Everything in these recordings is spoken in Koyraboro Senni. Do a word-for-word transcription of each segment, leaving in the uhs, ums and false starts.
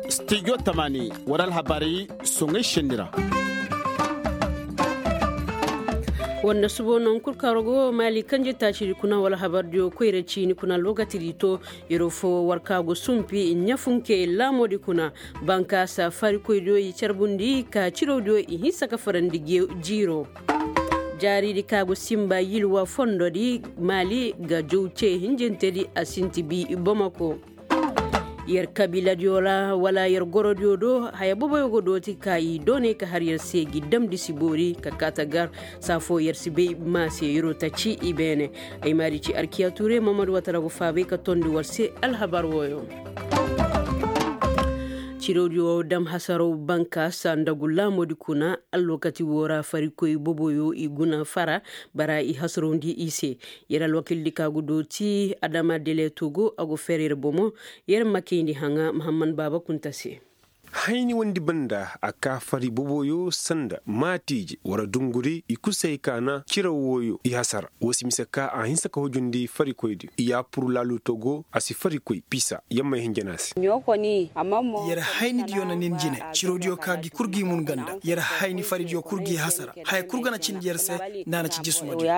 Studio tamani wara alhabaari soŋay senni ra. Wanda subo no nga kul kaŋ rogo maali kanje taacidi kuna wala habardiyo koyra ciini kuna alwakatidi to. Yeroo fo war ka go sumpi ɲafunke laamoodi kuna. Bankaasa farikoydiyo i carbundi ka cirawdiyo i hinsa ka farandi jiiro. Jaaridi ka go simba yilwa fondodi maali ga jow cee hinjintedi a sinti bi bamako. Yer kabiiladiyo ra wala yer gorodiyo do haya boboyo go dooti ka i doonay ka har yer se gi damndi si boori ka kaata gar. Saa foo yer si bay maa se yeroo ta ci i beene. Ay maadi ci arkiya tuure mamadu watara go faabay ka tondi war se alhabar wooyo. Cirawdiyo dam hasaraw bankaasa nda gu laamoodi kuna. Alwakati woo ra farikoy boboyo i guna fara bara i hasarawndi i se. Yer alwakildi ka gu dooti adama deleto go a go fer yer bomo. Yer ma kayndi haŋa mahamman baaba kunta se. Hayni wondi banda a ka fari boboyo sanda maatiije wara dunguri i kul se hay ka na ciraw wooyo i hasara woo si mise ka a hinsa ka hujundi farikoydiyo i yaapur laaluuto go a si farikoy pisa yamma i hinjana se. Yer haynidiyo na nin jine cirawdiyo ka gi kul gi mun ganda yer hayni faridiyo kul gi hasara haya kul ga na cindi yer se. Nda a na ci jisumadiyo.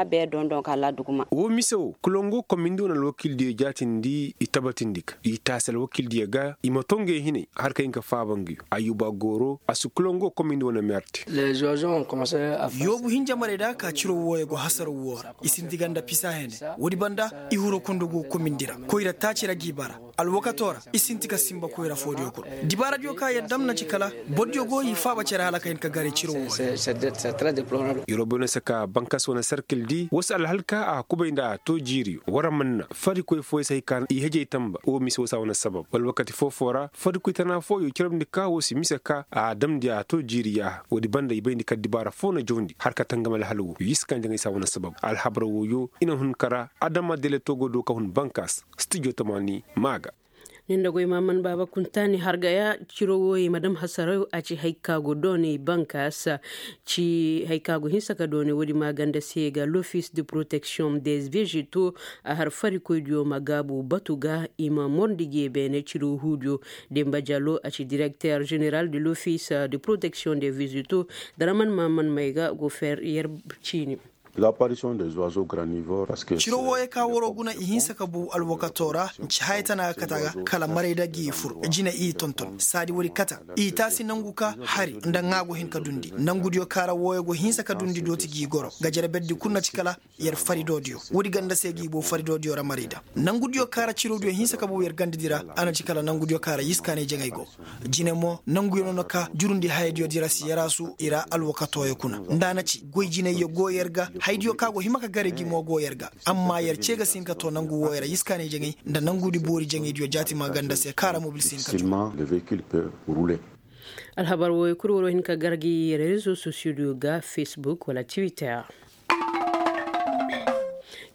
Woo mise woo kulongo komindi wane alwakildiyo jaatindi i tabatindi ka i taasi alwakildiyo ga i ma to ngey hinay har ka hin ka faaba nguyo ayyuba gooro a si kulongo komindi wane meerte. Yoobu hinja marayda ka ciro wooyo go hasaraw woo ra i sinti ganda pisa hene. Woodi banda i huru kundugu komindi ra koyra taaci ra g'i bara. Alwakato ra i sinti ka simba koyra foodiyo kul. Dibaaradiyo ka yer dam na ci kala bordiyo go i faaba cere hala ka hin ka gare ciro woo ra. Yeroo boy no se ka bankas wane sarkil di woo se alhalka a kubay nda a too jiiriyo wara man na farikoy fooyo se hay ka i hejey tamba woo mise woo se a wane sabab wala wakati foo-foo ra farikoy tana fooyo carabndi ka woo si mise ka a damndi a too jiiri yaaha woodi banda i bayndi ka dibaara foo na jawndi har ka tangam alhal woo yii si ka njaŋay se a wane sabab alhabar wooyo i na hun kara adama dele togo do ka hun bankas. Stijo tamaani maa ga. Nin da goy maman baaba kuntaani hargaya ciro wooyey madam hasaraw a ci hay ka go dooney bankaas. Ci hay ka go hinsa ka dooney woodi maaganda se ga lofis de protection des vegeto. A har farikoydiyo ma gaabu batu ga i ma morndi ge beene ciro huudiyo. Demba jallo a ci direkter jeneral de lofis de protection des vegeto. Daraman maman may ga go fer yer ciini. Ciro wooyo ka waroo guna i hinsa ka buu alwakatoo ra nci haya tana ga kate a ga kala maray da g'i fur. Jine i tonton saadi woodi kate a i taasi nangu ka hari nda ŋaa go hin ka dundi nangudiyo ka ra wooyo go hinsa ka dundi dooti g'i goro gajerberdi kul na ci kala yer faridoodiyo. Woodi ganda se g'i boo faridoodiyo ra maray da nangudiyo ka ra cirodiyo hinsa ka buu yer gandadi ra. A na ci kala nangudiyo ka ra yiskaanay jaŋay go. Jine mo nanguyo no na ka jurundi hayadiyo di ra si yaraasu i ra alwakatooyo kuna nda a na ci goy jinayyo go yer ga hayadiyo ka go hima ka gare gi mo go yer ga. Amma yer cee ga si hin ka too nangu wooyo ra yiskaanay jaŋay nda nangudi boori jaŋaydiyo jaati maaganda se ka ra mobil si hin ka too. Alhabar wooyo kul waroo hin ka gar gi yer rezo sosiyodiyo ga fesbuk wala tiwitter.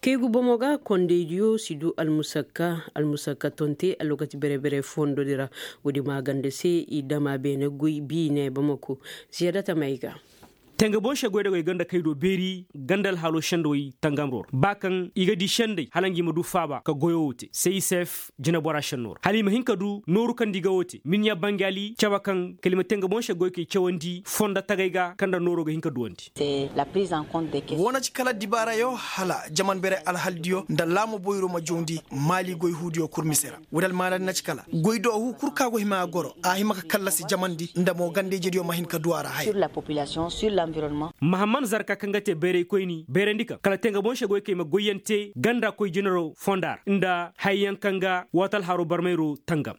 Kaygu bomo ga kondaydiyo si du almusakka almusakka tonte alwakati bere-bere fondodi ra. Woodi maaganda se i dama beene goy biine bamako. Ziyadata may ga. Tenga boŋ se goy da goy ganda kay do beeri ganda alhaaloo sendawey tangamroo ra ba kaŋ i ga di senday hala ngi ma du faaba ka goyoo wo te se i seef jineboraa sennoo ra hala i ma hin ka du nooru kaŋ nda i ga wo te miniya bangali cabe kaŋ kala i ma tenga boŋ se goy kay cawandi fonda tagay ga kaŋ nda nooroo ga hin ka duwandi. Woo na ci kala dibaarayo hala jaman bere alhaldiyo nda laamo boyro ma jawndi maali goy huudiyo kul mise ra. Woodi almaanadi na ci kala goy doohu kul ka go hima a goro a hima ka kallasi jamandi nda mo ganda-ijediyo ma hin ka du a ra haya. Mahamman zarka kaŋ ga te bayraykoyni bayrandi kaŋ kala tenga boŋ se goy kay ma goyyaŋ te ganda koy jinaro fonda ra nda hayyaŋ kaŋ ga waati alhaaroo barmayro tangam.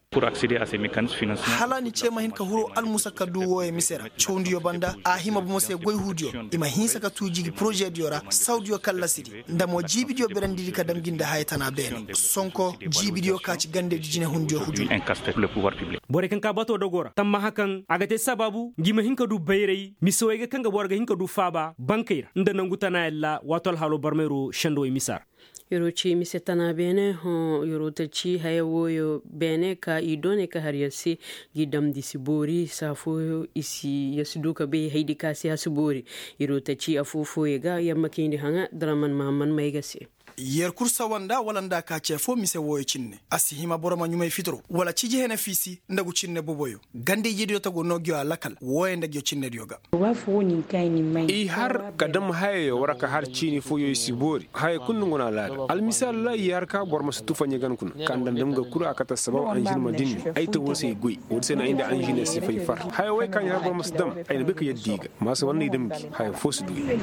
Hala ni cee ma hin ka huru almusakka duu wooyo mise ra cawndiyo banda a hima bomo se goy huudiyo i ma hinsa ka tuu jigi porozediyo ra sawdiyo kallasidi nda mo jiibidiyo berandidi ka dam gi nda haya tana beene sonko jiibidiyo ka ci gandedi jinehundiyo hujur. Borey kaŋ ka batoo dogoo ra tammaha kaŋ a ga te sabaabu ngi ma hin ka du bayray misewey ga kaŋ ga boro ga hin ka du faaba bankey ra nda nangu tana yalla waato alhaaloo barmayro sendowey misa ra. Yeroo ci mise tana beene hõ yeroo ta ci haya wooyo beene ka i doone ka har yer se gi damndi si boori saa fooyo i si yer si du ka bay haydi ka se a si boori. Yeroo ta ci afoo fooyo ga yer ma kayndi haŋa draman mahamman may ga se. Yer kul sawa nda wala nda a ka ce foo mise wooyo cinne a si hima boro ma ɲumay fitiro wala ciji hene fiisi nda gu cinne boboyo. Ganda ijediyo ta go noo ngiyo alakal wooyo nda ngiyo cinnediyo ga. I har ka dam hayayo war ka har ciini fooyo i si boori haya kul nda ngu na laada almisaal ra i har ka boro ma si tufa ɲagan kuna ka nda nda nga kul a kate sabaw anžin ma dinni ay ta woo se i goy. Woodi se na ay nda anžin si fay far haya wey ka ɲa har boro ma si dam. Ay na bay ka yadda i ga maasa war na i dam gi haya foo si du i.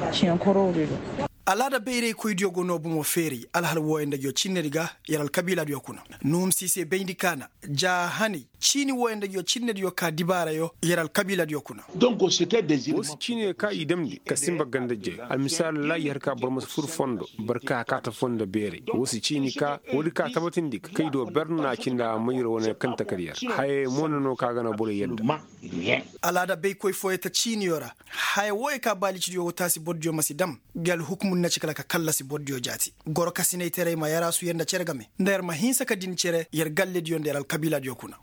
Alaada bayraykoydiyo go noo bomo feeray alhal wooyo nda ngiyo cinnedi ga. Yer alkabiiladiyo kuna nuhum si se bayndi kaana ja hanay ciini wooyo nda ngiyo cinnediyo ka dibaarayo yer alkabiiladiyo kuna. Woo si ciiniyo ka i damndi ka sinba ganda jay almisaal ra i har ka boro ma si fur fondo barka ka kaata fondo beeray woo si ciini ka woodi ka tabatindi ka kay do ber na a cindi a mayra wane kaŋ takar yer. Hayey mo na no ka ga na borey yadda. Alaada baykoy fooyo ta ciiniyo ra haya wooyo ka baalicidiyo go taasi bordiyo ma si dam. Ngi alhukumu na ci kala ka kallasi bordiyo jaati gorokasinaytaray ma yaraasu yer nda cere game nda yer ma hinsa ka din cere yer gallediyo nda yer alkabiiladiyo kuna.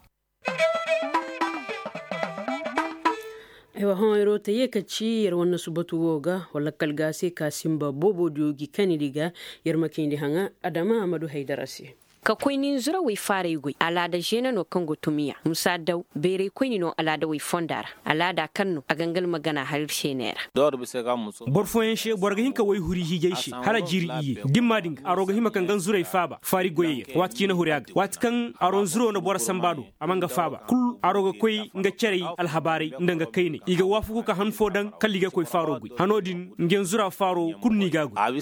Aywa hõ yer wo ta yee ka ci yer wane subatu wo ga wala kala ga se ka sinba boobodiyo gi kanidi ga. Yer ma kayndi haŋa adama amadu haydara se. Ka koy ninzurawey faaray goy alaada žeene no kaŋ go tumiya musa daw beeraykoyni no alaadawey fonda ra. Alaada kaŋ no a ga nga almagana har ir se neera. Boro fooyaŋ se boro ga hin ka wayhuri hiijay se hala jiiri iyye dimma din ga aro ga hima ka nga nzuray faaba faari goyey ra waati ciina huri a ga waati kaŋ aro nzuro na boro sanba do a ma nga faaba kul aro ga koy nga carey alhabaaray nda nga kayney i ga waafaku ka han foo daŋ kala i ga koy faaro goy hano din nga nzura faaro kul no i ga a goy.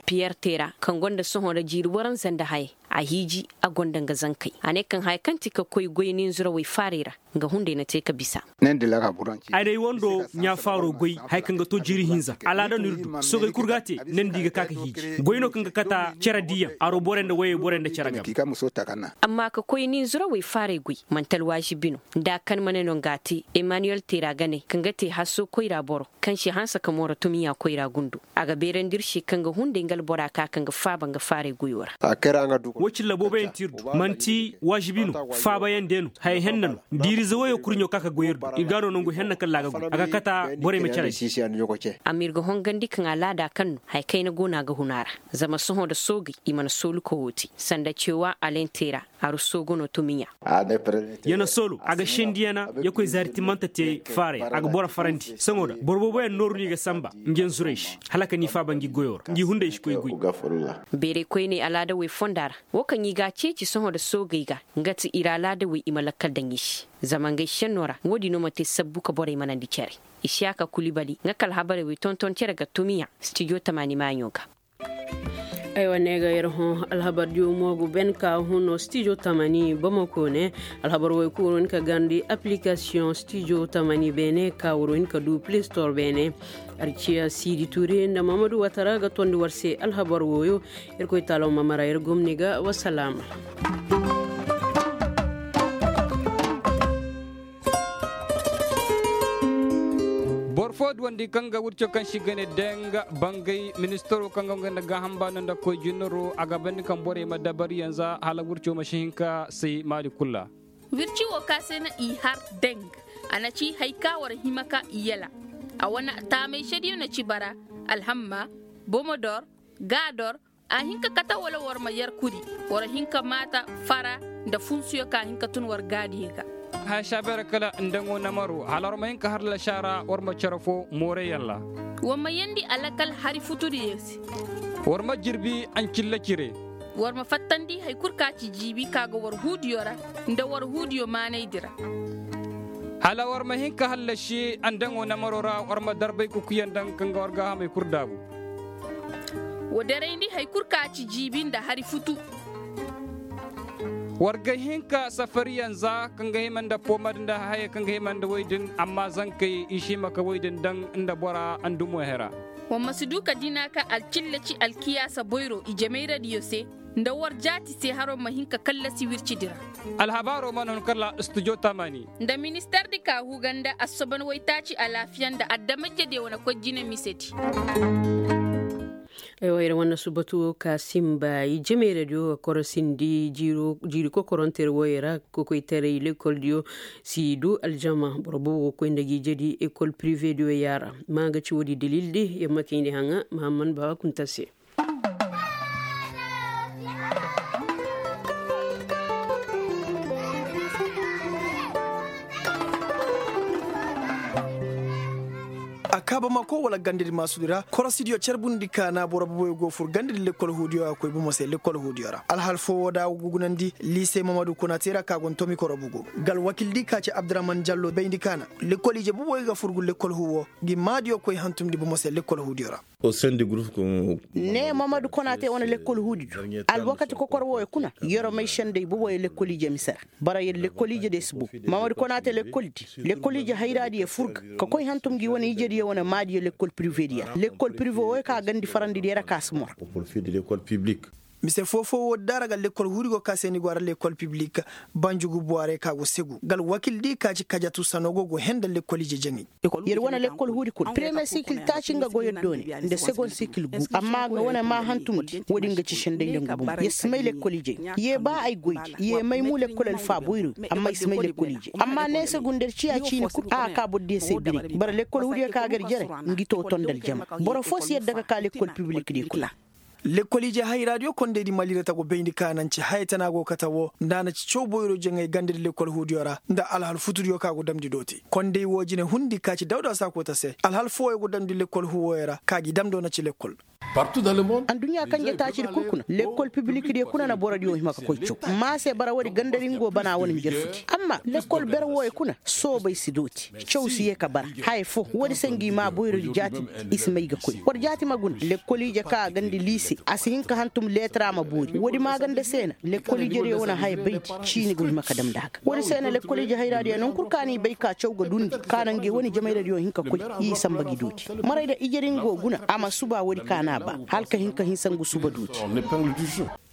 Piyer teera kaŋ gonda sohõ nda jiiri waranza nda hayey a hiiji a gonda nga zankey a ne kaŋ haya kaŋ ti ka koy goy ninzurawey faaray ra nga hunday na te ka bisa. Ay na ay wando ɲaa faaro goy haya kaŋ ga to jiiri hinza alaada no ir du soogey kul ga a te nandi ga ka ka hiiji goy no kaŋ ga kata cere diiyaŋ aro borey nda wayey borey nda cere game. Amma ka koy ninzurawey faaray goy manti alwaazibi no nda a kan ma ne no nga a te emaniyel teera ga ne kaŋ ga te hasso koyra boro kaŋ se hanse ka mooro tumiya koyra gundo a ga beerandi ir se kaŋ ga hunday nga albora ka kaŋ ga faaba nga faaray goyo ra. Woo cilla booboyaŋ ti ir du manti waazibi no faabayaŋ de no haya henna no diirize woyo kurɲo ka ka goy ir do ir ga a no nangu henna kalla a ga goy a ga kata borey ma care. Amma ir ga hongandi kaŋ alaada kaŋ no haya kayna go no a ga hun a ra zama sohõ nda soogey i mana soolu ka woo te sanda cewa alentera aru soogo no tumiɲa. Yana soolo a ga sendi yana ya koy zaari timmanta te faaray a ga boro farandi sohõ nda boro booboyaŋ nooru no i ga sanba ngi nzuray se hala ka ni faaba ngi goyo ra ngi hunday si koy goy. Beeray koyney alaadawey fonda ra woo kaŋ i ga a ceeci sohõ nda soogey ga nga ti ir alaadawey i ma lakkal daŋ i se zama ngey šennoo ra woo din no ma te sabbu ka borey manandi cere. Isiyaka kulibali nga ka alhabarey wey tonton cere ga tumiya stijo tamaani maaɲo ga. Aywa ne ga yer hõ alhabar diyo mo ga ben ka huno stijo tamani bamako ne. Alhabar wo ay kulu war hin ka gandi application stijo tamani beene ka war hin ka du play store beene. Arciya sidi ture nda mamadu watara ga tondi war se alhabar woyo. Yer koy taalo ma mara yer gomni ga wasalaama. Boro fo duwandi kaŋ ga wirco kaŋ si gane denga bangay ministaro kaŋ ga nga nda gaaham baano nda koy jinaro a ga bandi kaŋ borey ma dabari yanza hala wirco ma si hin ka say maali kulu ra. Wirci wo ka se na i har deng a na ci hari ka war hima ka i yala. A wane taamay sediyo na ci bara alhamma, bomodor, gaador. A hin ka kate wala war ma yar kuri war hin ka maata fara nda funsuyo ka hin ka tun war gaadiyo ga. Haya saabeera kala ndaŋo namaro hala war ma hin ka har lasaara war ma cere fo mooray yalla. War ma yandi alakal hari futudiyo se. War ma jirbi ancilla cire. War ma fattandi hari kul ka ci jiibi ka ga war huudiyo ra nda war huudiyo maanaydi ra. Hala war ma hin ka hallasi andaŋo namaro ra war ma darbay kukuyaŋ daŋ kaŋ ga war gaahamey kul daabu. Wa darayndi hari kul ka ci jiibi nda hari futu. War ga hin ka safariyaŋ za kaŋ ga hima nda poomad nda hayey kaŋ ga hima nda woy din amma zankey i si hima ka woy din daŋ nda bora andumo hera. Wa ma si du ka dina ka alcilla ci alkiyaasa boyro i jemayradiyo se nda war jaati se haro ma hin ka kallasi wircidi ra. Alhabaaro mana hun kala studio tamani. Nda ministardi ka huga nda assoban waytaaci alaafiya nda adamajediyo wane koy jine misedi. Ay wo yer wane subatu ka simba i jemey radio ga korosindi jiiri kokoronte yer wo yer ra kokoytaray lekoldiyo si du aljama boro boobo ga koy nda gi jadi ekol privediyo yaara ma ga ci woodi dalildi yer ma kayndi haŋa mahamman baba kunta se. Ko wala gandadi maasudi ra korosidiyo carbundi kaana boro boboyo go fur gandadi lekkol huudiyo a koy bomo se lekkol huudiyo ra alhal foo woo da a go gugunandi liise mamadu kuna teera ka go ni tomikoro bugu. Gal wakildi ka ci abduraman jallo bayndi kaana lekkol ije boboyo ga fur gu lekkol huu woo ngi maadiyo koy hantumndi bomo se lekkol huudiyo ra. Ne mamadu kuna te wane lekkol huudi do alwakati kokor wooyo kuna yeroo may senday boboyo lekkol ije mise ra. Bara yer lekkol ije de si bow. Mamadu konaate lekkoldi lekkol ije hayraadiyo fur ga ka koy hantum ngi wane ijediyo wane maadiyo lekkol privediyo ra lekkol prive wooyo ka gandi farandidiyo ra ka si mor. Mise foo foo woodi da ra ga lekkol huudi go ka se ni go a ra lekkol piblik. Banjugu buwaarey ka go segu gal wakildi ka ci kajatu sanoo go go henda lekkol ije jaŋay. Yer wane lekkol huudi kuna premiyer sikil taaci nga go yer doone nda segond sikil gu amma nga wane maa hantumndi woodi nga ci senday nda nga bomo yer si may lekkol ijey. Ye ba ay goydi ye may mu lekkol alfaa boyroy amma ay si may lekkol ijey amma neese gu nda yer ciya ciini kul a ka bordiyo se biray bara lekkol huudiyo ka gar jere. Ngi too tondal jama boro foo si yadda ka kaa lekkol pibilik di kuna. Lekkol ije hayraadiyo kondaydi malirata go bayndi ka na nci haya tana go kate woo nda a na ci caw boyro jaŋay gandadi lekkol huudiyo ra nda alhal futudiyo ka go damndi dooti konday woo jine hundi ka ci dawda saakoo ta se alhal fooyo go damndi lekkol huu wooyo ra ka gi damndoo na ci lekkol. Adduɲɲa kanje taacidi kul kuna lekkol pibilikidiyo kuna na borodiyo hima ka koy caw. Maa se bara woodi gandadi ngo bana wane njarfuti amma lekkol ber wooyo kuna soobay si dooti. Caw si yee ka bara haya foo woodi se ngi maa boyrodi jaatindi. I si may ga koy war jaati ma guna lekkol ije ka a gandi liise a si hin ka hantum leetara ma boori woodi maaganda se na lekkol ijediyo wane haya baydi. Ciini go hima ka damndi a ga woodi se na lekkol ije hayraadiyo naŋ kul ka n'i bay ka caw ga dundi ka na ngi wane jamayradiyo hin ka koy. I samba gi dooti maray da ijedi ngo guna a ma suba woodi ka n'a ba hala ka hin ka hinsa ngu suba dooti.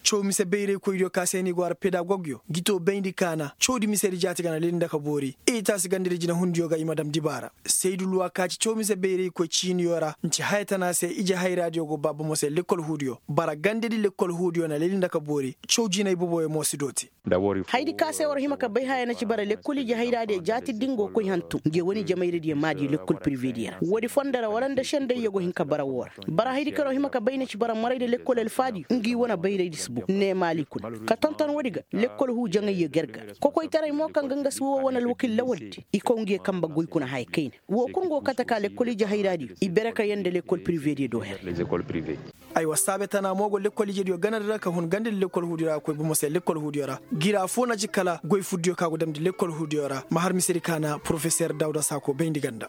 Caw mise bayraykoydiyo ka se ni go a ra pedagogyo gi too bayndi kaana cawdi misedi jaati gana leli nda ka boori. Itaasi gandadi jinehundiyo ga i ma dam dibaara. Saydu luwa ka ci caw mise bayraykoy ciiniyo ra nci haya tana se ije hayraadiyo go baa bomo se lekkol huudiyo bara gandadi lekkol huudiyo na leli nda ka boori. Caw jinay boboyo mo si dooti. Hayadi ka se war hima ka bay haya na ci bara lekkol ije hayraadiyo jaati da nga go koy hantum nge wane jamayradiyo maadiyo lekkol pirivediyo ra woodi fondo ra wala nda sendayyo go hin ka bara woo ra. Bara hayadi ka war hima ka bay na ci bara marayda lekkol alfaadiyo ngi wane bayraydi si bow ne maali kuna. Ka tonton woodi ga lekkol huu jaŋayyo garga kokoytaray mo kaŋ ga nga si woo wane alwakil lawaldi i kow nge kanbe goy kuna haya kayna. Woo kul nga go kate ka lekkol ije hayraadiyo i bere ka yee nda lekkol pirivediyo do her. Aywa saabe tana mo go lekkol ijediyo ganadi ra ka hun gandadi lekkol huudiyo ra a koy bomo se lekkol huudiyo ra. Gira foo na ci kala goy furdiyo ka go damndi lekkol huudiyo ra ma har misedi kaana porofeser dawda saako bayndi ganda.